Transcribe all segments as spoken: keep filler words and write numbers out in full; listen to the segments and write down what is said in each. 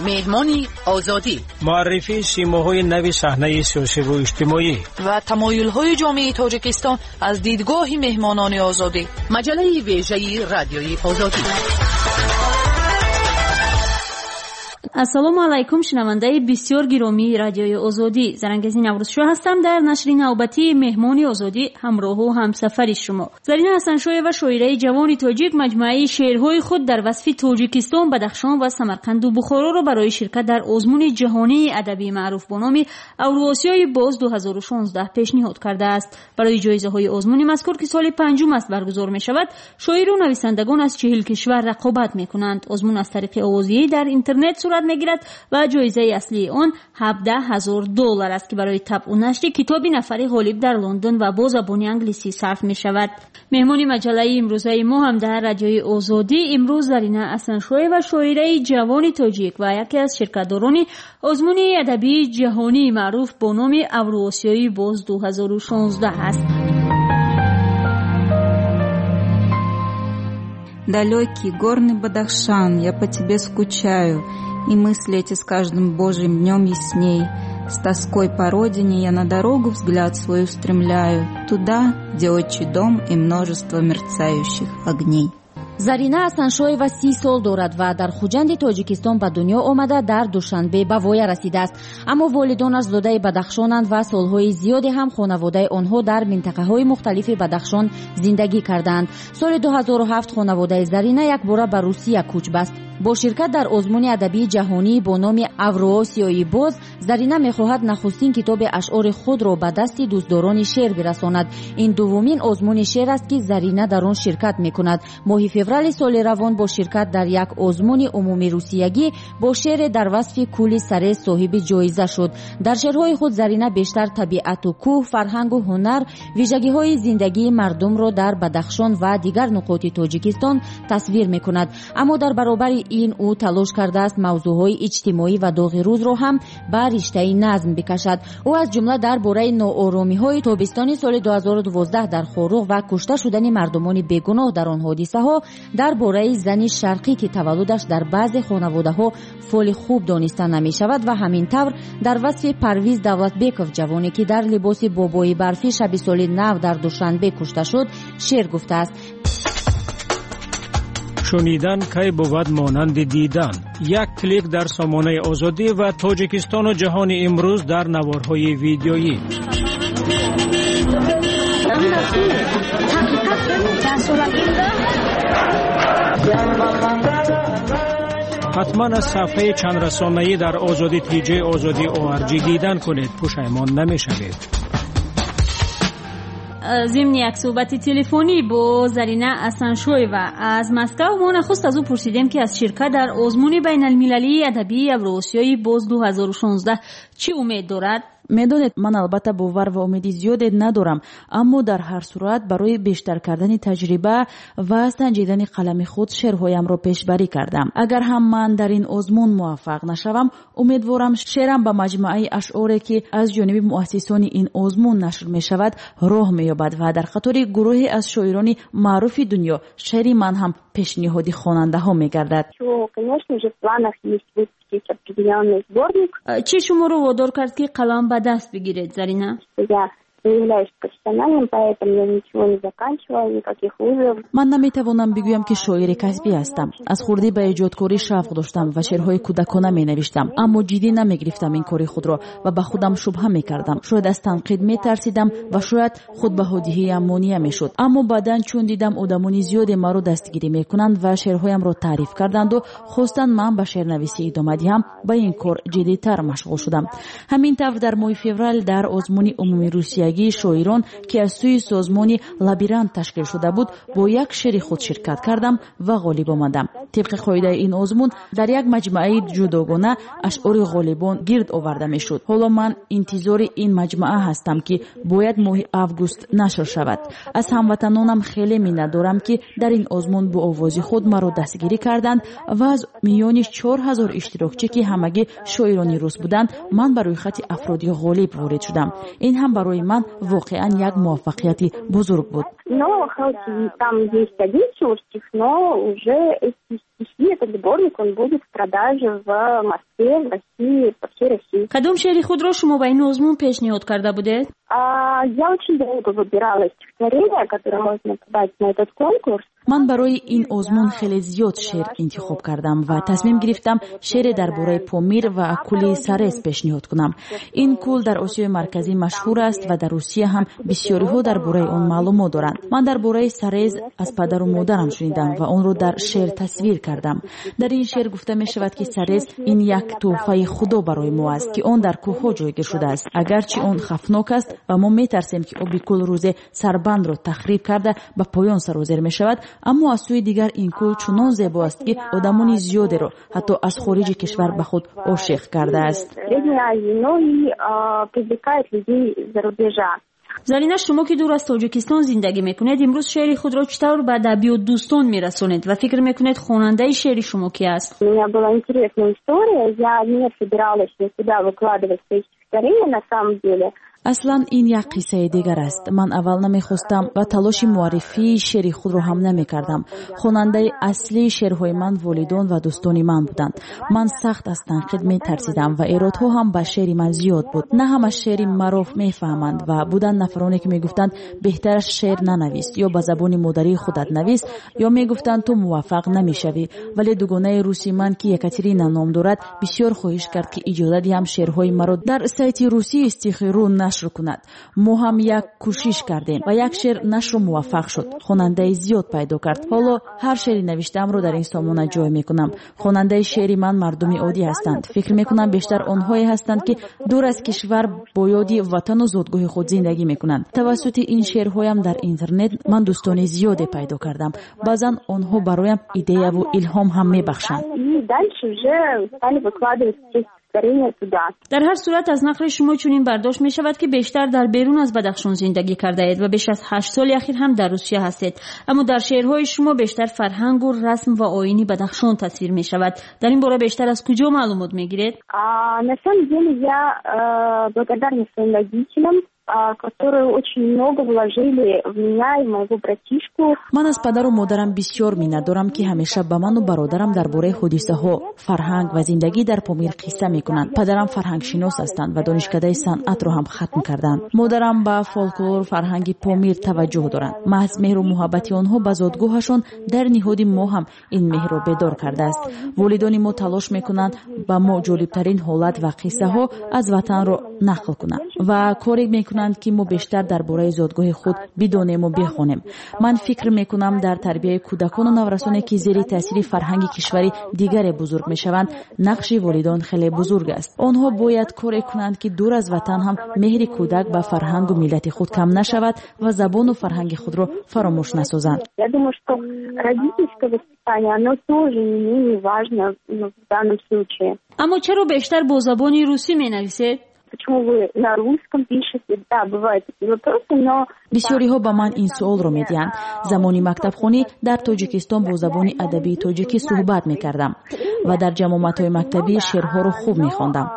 Меҳмони Озодӣ. Муаррифии симоҳои нави саҳнаи сиёсиву иҷтимоӣ ва тамоюлҳои ҷомеаи Тоҷикистон аз дидгоҳи меҳмонони Озодӣ. Маҷаллаи вежаи Радиои Озодӣ. Ассалому алайкум, шунавандаи бисёр гиромии Радиои Озодӣ. Зарангези Наврӯзшоҳ ҳастам. Дар нашри навбатии Меҳмони Озодӣ ҳамроҳу ҳамсафари шумо. Зарина Ҳасаншоева, шоираи ҷавони тоҷик, маҷмӯаи шеърҳои худ дар васфи Тоҷикистон, Бадахшон ва Самарқанду Бухороро барои ширкат дар озмуни ҷаҳонии адабии маъруф бо номи Авруосиёи боз ду ҳазору шонздаҳ пешниҳод кардааст. Барои ҷоизаҳои озмуни мазкур, ки соли панҷум аст баргузор мешавад, шоиру нависандагон аз чиҳил кишвар рақобат мекунанд. Озмун аз тариқи овозӣ дар интернет сурат мегирад ва ҷоизаи аслии он ҳабдаҳ ҳазор доллар аст, ки барои табъу нашри китоби нафари ғолиб дар Лондон ва бо забони англисӣ сарф мешавад. Меҳмони маҷаллаи имрӯзаи мо ҳам дар Радиои Озодӣ имрӯз Зарина Ҳасаншоева, шоираи ҷавони тоҷик ва яке аз ширкатдорони озмуни адабии ҷаҳонии маъруф бо номи Авруосиёи боз ду ҳазору шонздаҳ аст. Далекий горный Бадахшан, я по тебе скучаю, и мысли эти с каждым божьим днем ясней. С тоской по родине я на дорогу взгляд свой устремляю, туда, где отчий дом и множество мерцающих огней. Зарина Ҳасаншоева си сол дорад ва дар Хуҷанди Тоҷикистон ба дунё омада, дар Душанбе ба воя расидааст. Аммо волидонаш зодаи Бадахшонанд ва солҳои зиёде ҳам хонаводаи онҳо дар минтақаҳои мухталифи Бадахшон зиндагӣ кардаанд. Соли ду ҳазору ҳафт хонаводаи Зарина якбора ба Русия кӯч баст. Бо ширкат дар озмуни адабии ҷаҳонӣ бо номи Авруосиёи боз, Зарина мехоҳад нахустин китоби ашъори худро ба дасти дӯстдорони шеър бирасонад. Ин дуввумин озмуни шеър аст, ки Зарина дар он ширкат мекунад. Моҳи феврали соли равон бо ширкат дар як озмуни умумирусиягӣ бо шеъре дар васфи кӯли Сарез соҳиби ҷоиза шуд. Дар шеърҳои худ Зарина бештар табиату кӯҳ, фарҳангу ҳунар, вижагиҳои зиндагии мардумро дар Бадахшон ва дигар нуқоти Тоҷикистон тасвир мекунад. Аммо дар баробари ин ӯ талош кардааст мавзӯъҳои иҷтимоӣ ва доғи рӯзро ҳам ба риштаи назм бикашад. Ӯ аз ҷумла дар бораи нооромиҳои тобистони соли ду ҳазору дувоздаҳ дар Хоруғ ва кушта шудани мардумони бегуноҳ дар он ҳодисаҳо, дар бораи зани шарқӣ, ки таваллудаш дар баъзе хонаводаҳо фоли хуб дониста намешавад, ва ҳамин тавр дар васфи Парвиз Давлатбеков, ҷавоне ки дар либоси бобои барфӣ шаби соли нав дар Душанбе кушта шуд, шеър гуфтааст. Шунидан кай бувад монанди дидан. Як клик дар сомонаи Озодӣ ва Тоҷикистону ҷаҳони имрӯз дар наворҳои видеоӣ. Ҳатман аз сафҳаи чандрасонаӣ дар Озодӣ тиҷи Озодӣ орҷ дидан кунед, пушаймон намешавед. Зимни як суҳбати телефонӣ бо Зарина Ҳасаншоева аз Москав, мо нахуст аз ӯ пурсидем, ки аз ширкат дар озмуни байналмилалии адабии Авруосиёи боз ду ҳазору шонздаҳ чӣ умед дорад. Медонед, ман албатта бовар ва умеди зиёде надорам, аммо дар ҳар сурат барои бештар кардани таҷриба ва санҷидани қалами худ шеърҳоямро пешбарӣ кардам. Агар ҳам ман дар ин озмун муваффақ нашавам, умедворам шеърам ба маҷмӯаи ашъоре, ки аз ҷониби муассисони ин озмун нашр мешавад, роҳ меёбад ва дар қатори гурӯҳе аз шоирони маъруфи дунё шеъри ман ҳам пешниҳоди хонандаҳо мегардад. Чӣ шуморо водор кард, ки қалам ба даст бигиред, Зарина? Не являюсь профессиональным поэтом, я ничего не заканчивала, никаких вузов. Ман наметавонам бигӯям, ки шоири касбӣ ҳастам. Аз хурдӣ ба эҷодкорӣ шавқ доштам ва шеърҳои кӯдакона менавиштам, аммо ҷиддӣ намегирифтам ин кори худро ва ба худам шубҳа мекардам. Шояд аз танқид метарсидам ва шояд худбаҳодиҳиям монеа мешуд. Аммо баъдан чун дидам одамони зиёде маро дастгирӣ мекунанд ва шеърҳоямро таъриф карданду хостанд ман ба шеърнависӣ идома диҳам, ба ин кор ҷиддитар машғул шудам. Ҳамин тавр дар моҳи феврал дар озмуни умумирусиягӣ шоирон, ки аз сӯи созмони Лабирант ташкил шуда буд, бо як шеъри худ ширкат кардам ва ғолиб омадам. Тибқи қоидаи ин озмун дар як маҷмӯаи ҷудогона ашъори ғолибон гирд оварда мешуд. Ҳоло ман интизори ин маҷмӯа ҳастам, ки бояд моҳи август нашр шавад. Аз ҳамватанонам хеле миннатдорам, ки дар ин озмун бо овози худ маро дастгирӣ карданд ва аз миёни чор ҳазор иштирокчӣ, ки ҳамагӣ шоирони рус буданд, ман ба рӯйхати афроди ғолиб ворид шудам. Ин ҳам барои ман воқеан як муваффақияти бузург буд. Но хоть и там есть один всего стих, но уже эти стихи, этот сборник сборник, он будет в продаже в Москве, в России, по всей России. Кадом шеъри худро шумо ба ин озмун пешниҳод карда будед? А, я очень долго выбирала стихотворение, которое можно подать на этот конкурс. Ман барои ин озмун хеле зиёд шеър интихоб кардам ва тасмим гирифтам шеъре дар бораи Помир ва кӯли Сарез пешниҳод кунам. Ин кӯл дар Осиёи Марказӣ машҳур аст ва дар Русия ҳам бисёриҳо дар бораи он маълумот доранд. Ман дар бораи Сарез аз падару модарам шунидам ва онро дар шеър тасвир кардам. Дар ин шеър гуфта мешавад, ки Сарез ин як тӯҳфаи Худо барои мо аст, ки он дар кӯҳҳо ҷойгир шудааст. Агарчи он хавфнок аст ва мо метарсем, ки оби кӯл рӯзе сарбандро тахриб карда ба поён сарозер мешавад, аммо аз сӯи дигар ин кӯл чунон зебо аст, ки одамони зиёдеро ҳатто аз хориҷи кишвар ба худ ошиқ кардааст. Зарина, шумо ки дур аз Тоҷикистон зиндагӣ мекунед, имрӯз шеъри худро чӣ тавр ба адабиётдӯстон мерасонед ва фикр мекунед, хонандаи шеъри шумо ки аст? У меня была интересная история. Я не собиралась никуда выкладывать свои стихотворения на самом деле. Аслан ин як қиссаи дигар аст. Ман аввал намехостам ва талоши муаррифии шеъри худро ҳам намекардам. Хонандаи аслии шеърҳои ман волидон ва дӯстони ман буданд. Ман сахт аз танқид метарсидам ва эродҳо ҳам ба шеъри ман зиёд буд. На ҳама шеъри маро мефаҳманд ва буданд нафароне, ки мегуфтанд, беҳтараш шеър нанавис ё ба забони модарии худат навис, ё мегуфтанд, ту муваффақ намешавӣ. Вале дугонаи руси ман, ки Екатерина ном дорад, бисёр хоҳиш кард, ки иҷоза диҳам шеърҳои маро дар сайти русии Стихи.ру нашр кунад. Мо ҳам як кӯшиш кардем ва як шеър нашру муваффақ шуд, хонандаи зиёд пайдо кард. Ҳоло ҳар шеъри навиштаамро дар ин сомона ҷой мекунам. Хонандаи шеъри ман мардуми оддӣ ҳастанд. Фикр мекунам, бештар онҳое ҳастанд, ки дур аз кишвар бо ёди ватану зодгоҳи худ зиндагӣ мекунанд. Тавассути ин шеърҳоям дар интернет ман дӯстони зиёде пайдо кардам. Баъзан онҳо бароям идеяву илҳом ҳам мебахшанд. Дар ҳар сурат, аз нақли шумо чунин бардошт мешавад, ки бештар дар берун аз Бадахшон зиндагӣ кардаед ва беш аз ҳашт соли ахир ҳам дар Русия ҳастед. Аммо дар шеърҳои шумо бештар фарҳангу расм ва оини Бадахшон тасвир мешавад. Дар ин бора бештар аз куҷо маълумот мегиред? На самом деле я э, благодарна своим родителям, которые очень много вложили в меня и моего братишку. Ман аз падару модарам бисёр миннатдорам, ки ҳамеша ба ману бародарам дар бораи ҳодисаҳо, фарҳанг ва зиндагӣ дар Помир қисса мекунанд. Падарам фарҳангшинос ҳастанд ва донишкадаи санъатро ҳам хатм карданд. Модарам ба фолклору фарҳанги Помир таваҷҷӯҳ доранд. Маҳз меҳру муҳаббати онҳо ба зодгоҳашон дар ниҳоди мо ҳам ин меҳрро бедор кардааст. Волидони мо талош мекунанд, ба мо ҷолибтарин ҳолат ва қиссаҳо аз ватанро нақл кунанд ва коре мекунанд, ки мо бештар дар бораи зодгоҳи худ бидонему бихонем. Ман фикр мекунам, дар тарбияи кӯдакону наврасоне, ки зери таъсири фарҳанги кишвари дигаре бузург мешаванд, нақши волидон хеле бузург аст. Онҳо бояд коре кунанд, ки дур аз ватан ҳам меҳри кӯдак ба фарҳангу миллати худ кам нашавад ва забону фарҳанги худро фаромӯш насозанд. Я думаю, что родительское воспитание, оно тоже не менее важно в данном случае. Аммо чаро бештар бо забони русӣ менависед? Почему вы на русском пишете? Да, бывают такие вопросы, но... Бисёриҳо ба ман ин суолро медиҳанд. Замони мактабхонӣ дар Тоҷикистон бо забони адабии тоҷикӣ суҳбат мекардам ва дар ҷамъоматҳои мактабӣ шеърҳоро хуб мехондам.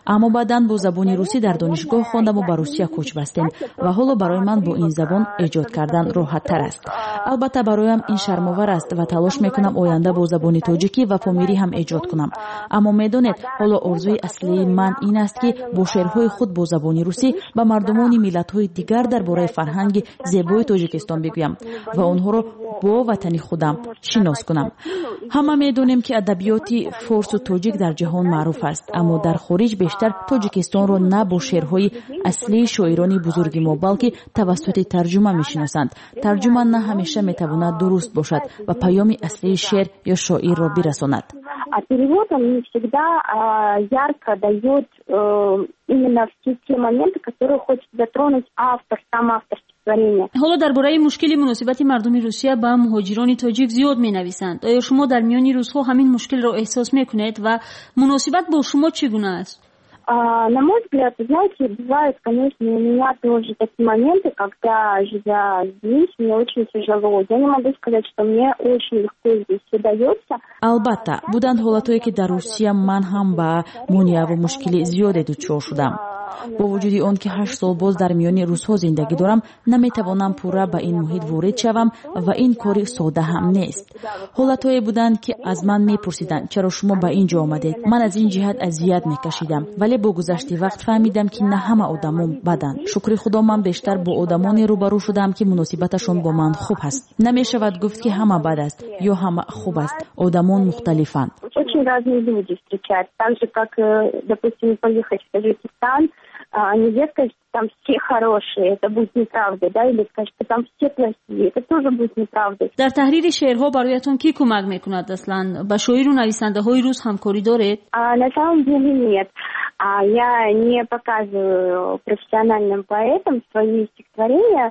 Аммо баъдан бо забони русӣ дар донишгоҳ хондаму ба Русия кӯч бастем ва ҳоло барои ман бо ин забон эҷод кардан роҳаттар аст. Албатта, бароям ин шармовар аст ва талош мекунам оянда бо забони тоҷикӣ ва помирӣ ҳам эҷод кунам. Аммо медонед, ҳоло орзуи аслии ман ин аст, ки бо шеърҳои худ бо забони русӣ ба мардумони миллатҳои дигар дар бораи фарҳанги зебои Тоҷикистон бигӯям ва онҳоро бо ватани худам шинос кунам. Ҳама медонем, ки адабиёти форсу тоҷик дар ҷаҳон маъруф аст, аммо дар хориҷ бештар Тоҷикистонро на бо шеърҳои аслии шоирони бузурги мо, балки тавассути тарҷума мешиносанд. Тарҷума на ҳамеша метавонад дуруст бошад ва паёми аслии шеър ё шоирро бирасонад. А перевод, он не всегда а, ярко дает э, именно все те моменты, которые хочет затронуть автор, сам автор стихотворения. Ҳоло дар бораи мушкили муносибати мардуми Русия ба муҳоҷирони тоҷик зиёд менависанд. Оё шумо дар миёни русҳо ҳамин мушкилро эҳсос мекунед ва муносибат бо шумо чӣ гуна аст? А, на мой взгляд, знаете, бывают, конечно, у меня тоже такие моменты, когда, живя здесь, мне очень тяжело. Я не могу сказать, что мне очень легко здесь все дается. Албатта, буданд ҳолатҳое, ки дар Русия ман ҳам ба монеаву мушкили зиёде дучор шудам. Бо вуҷуди он ки ҳашт сол боз дар миёни русҳо зиндагӣ дорам, наметавонам пурра ба ин муҳит ворид шавам ва ин кори сода ҳам нест. Ҳолатҳое буданд, ки аз ман мепурсиданд, чаро шумо ба ин ҷо омадед. Ман аз ин ҷиҳат азият мекашидам, вале бо гузашти вақт фаҳмидам, ки на ҳама одамон баданд. Шукри Худо, ман бештар бо одамоне рӯбарӯ шудам, ки муносибаташон бо ман хуб ҳаст. Намешавад гуфт, ки ҳама бад аст ё ҳама хуб аст. Одамон мухталифанд. Очень разные люди встречаются. Так же, как, допустим, поехать в Таджикистан, нельзя сказать, что там все хорошие, это будет неправда, да, или сказать, что там все плохие, это тоже будет неправда. Дар таҳрири шеърҳо бароятон кӣ кӯмак мекунад аслан? Ба шоиру нависандаҳои рус ҳамкорӣ доред? А, на самом деле нет. А, я не показываю профессиональным поэтам свои стихотворения,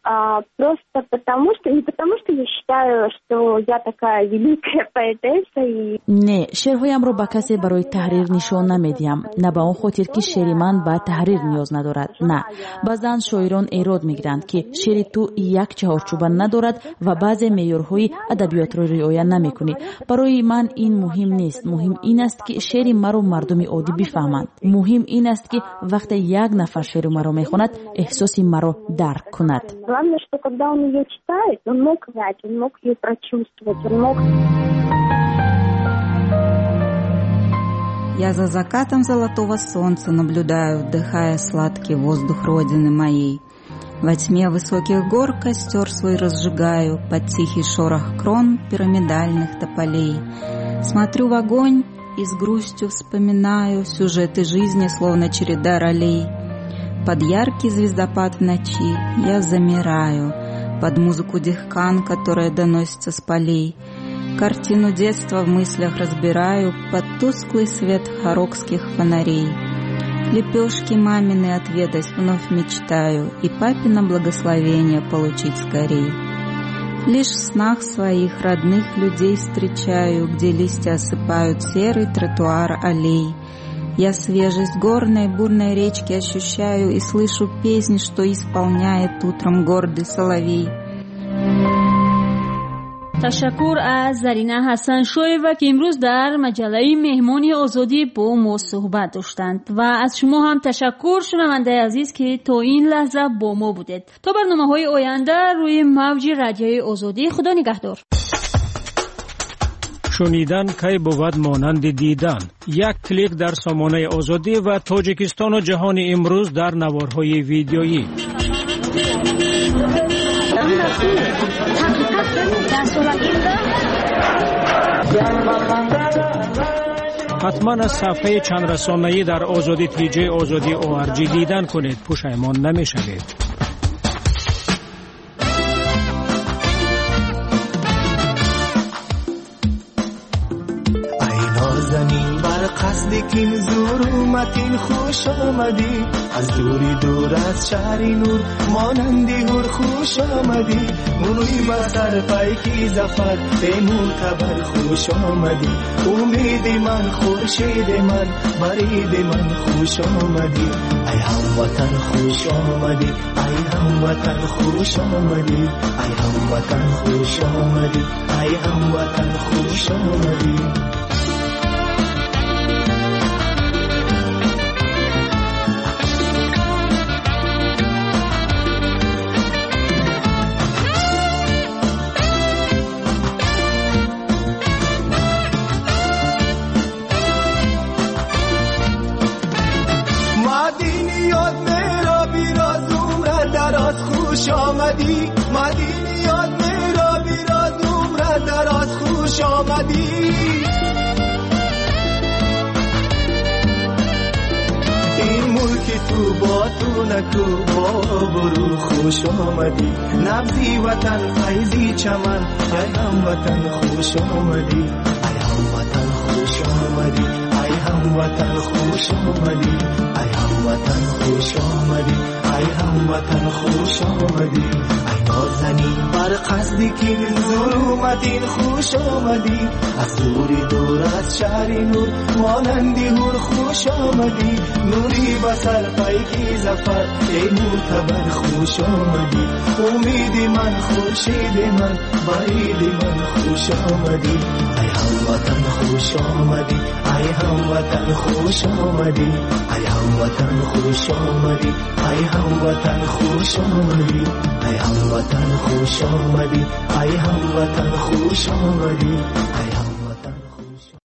а, просто потому что, не потому что я считаю, что я такая великая поэтесса и... Не, шеърҳоямро ба касе барои таҳрир нишон намедиҳам. На ба он хотир, ки шеъри ман ба таҳрир ниёз надорад. На. Баъзан шоирон эрод мегиранд, ки шеъри ту як чаҳорчӯба надорад ва баъзе меъёрҳои адабиётро риоя намекунӣ. Барои ман ин муҳим нест. Муҳим ин аст, ки шеъри маро мардуми оддӣ бифаҳманд. Муҳим ин аст, ки вақте як нафар шеъри маро мехонад, эҳсоси маро дарк кунад. Главное, что когда он ее читает, он мог знать, он мог ее прочувствовать, он мог... Я за закатом золотого солнца наблюдаю, вдыхая сладкий воздух родины моей. Во тьме высоких гор костер свой разжигаю под тихий шорох крон пирамидальных тополей. Смотрю в огонь и с грустью вспоминаю сюжеты жизни, словно череда ролей. Под яркий звездопад в ночи я замираю, под музыку дихкан, которая доносится с полей. Картину детства в мыслях разбираю под тусклый свет хорокских фонарей. Лепешки мамины отведать вновь мечтаю и папино благословение получить скорей. Лишь в снах своих родных людей встречаю, где листья осыпают серый тротуар аллей. Я свежесть горной бурной речки ощущаю и слышу песнь, что исполняет утром гордый соловей. Ташаккур аз Зарина Ҳасаншоева, ки имрӯз дар маҷаллаи Меҳмони Озодӣ бо мо суҳбат доштанд. Ва аз шумо ҳам ташаккур, шунавандаи азиз, ки то ин лаҳза бо мо будед. То барномаҳои оянда рӯи мавҷи радиои Озодӣ, Худо нигаҳдор. Шунидан кай бувад монанди дидан. Як клик дар сомонаи Озодӣ ва Тоҷикистону ҷаҳони имрӯз дар наворҳои видеоӣ. Ҳатман аз сафҳаи чандрасонаӣ дар Озодӣ тиҷи Озодӣ о ар ҷи дидан кунед. Пушаймон намешавед. Қасди кин зур уматин хуш омадӣ, аз дури дур аз шаҳри нур монанди ҳур хуш омадӣ. Мунӯи ба сар пайки зафар бемӯътабар хуш омадӣ. Умеди ман, хуршеди ман, бариди ман хуш омадӣ. Ай ҳамватан хуш омадӣ, ай ҳамватан хуш омадӣ, ай ҳамватан хуш омадӣ, ай ҳамватан хуш омадӣ. خوش آمدی مدینی یاد میرا بیراز عمر دراز خوش آمدی. این ملک تو با تو نکو با برو خوش آمدی. نبضی وطن فیضی چمن ای هم وطن خوش آمدی، ای هم وطن خوش آمدی، ای هم وطن خوش آمدی، ای هم وطن خوش آمدی، ای هم وطن خوش آمدی. ای نازنین بر قصدی که ظلمتین خوش آمدی، از دوری دور از شهر نور مانندی هور خوش آمدی. نوری بسر پیکی ظفر ای معتبر خوش آمدی. امید من خورشید من برید من خوش آمدی. ای هم وطن خوش хуш омадӣ, ай ҳамватан хуш омадӣ, ай ҳамватан хуш омадӣ, ай ҳамватан хуш омадӣ, ай ҳамватан хуш омадӣ, ай ҳамватан хуш омадӣ, ай ҳам